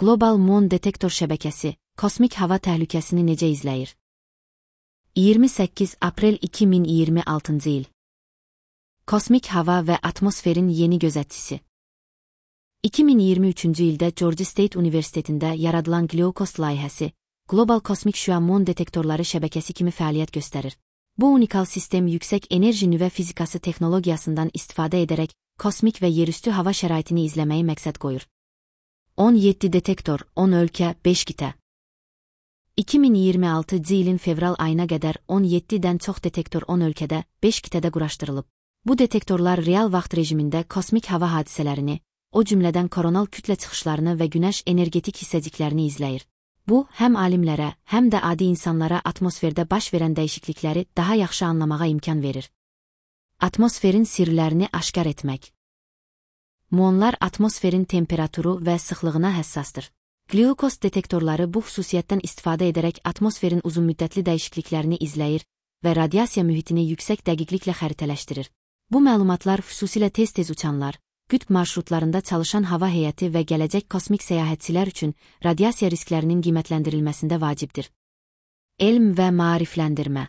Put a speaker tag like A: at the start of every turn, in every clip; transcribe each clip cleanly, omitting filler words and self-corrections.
A: Global Mon Detektor şəbəkəsi, kosmik hava təhlükəsini necə izləyir? 28 aprel 2026 il. Kosmik hava və atmosferin yeni gözətçisi. 2023 ildə Georgia State Universitetində yaradılan GLIOCOST layihəsi, Global Kosmik Şüa Mon Detektorları şəbəkəsi kimi fəaliyyət göstərir. Bu unikal sistem yüksək enerji nüvə fizikası texnologiyasından istifadə edərək kosmik və yerüstü hava şəraitini izləməyi məqsəd qoyur. 17 detektor, 10 ölkə, 5 qitə. 2026 ilin fevral ayına qədər 17-dən çox detektor 10 ölkədə, 5 qitədə quraşdırılıb. Bu detektorlar real vaxt rejimində kosmik hava hadisələrini, o cümlədən koronal kütlə çıxışlarını və günəş energetik hissəciklərini izləyir. Bu, həm alimlərə, həm də adi insanlara atmosferdə baş verən dəyişiklikləri daha yaxşı anlamağa imkan verir. Atmosferin sirlərini aşkar etmək. Muonlar atmosferin temperaturu və sıxlığına həssasdır. GLIOCOST detektorları bu xüsusiyyətdən istifadə edərək atmosferin uzunmüddətli dəyişikliklərini izləyir və radiasiya mühitini yüksək dəqiqliklə xəritələşdirir. Bu məlumatlar xüsusilə tez-tez uçanlar, qütb marşrutlarında çalışan hava heyəti və gələcək kosmik səyahətçilər üçün radiasiya risklərinin qiymətləndirilməsində vacibdir. Elm və maarifləndirmə.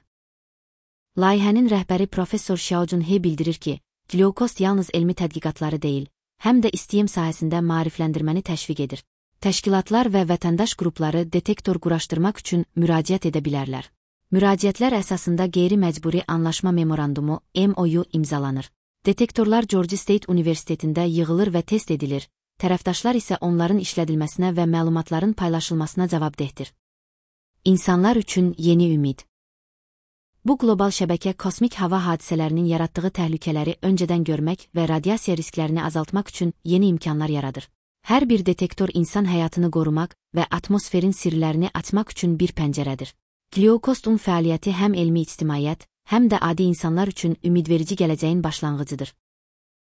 A: Layihənin rəhbəri Professor Xiaojun He bildirir ki, GLIOCOST yalnız elmi tədqiqatları deyil, həm də STEM sahəsində maarifləndirməni təşviq edir. Təşkilatlar və vətəndaş qrupları detektor quraşdırmaq üçün müraciət edə bilərlər. Müraciətlər əsasında qeyri-məcburi anlaşma memorandumu MOU imzalanır. Detektorlar Georgia State Universitetində yığılır və test edilir, tərəfdaşlar isə onların işlədilməsinə və məlumatların paylaşılmasına cavabdehdir. İnsanlar üçün yeni ümid. Bu qlobal şəbəkə kosmik hava hadisələrinin yaratdığı təhlükələri öncədən görmək və radiasiya risklərini azaltmaq üçün yeni imkanlar yaradır. Hər bir detektor insan həyatını qorumaq və atmosferin sirlərini açmaq üçün bir pəncərədir. GLIOCOST-un fəaliyyəti həm elmi ictimaiyyət, həm də adi insanlar üçün ümidverici gələcəyin başlanğıcıdır.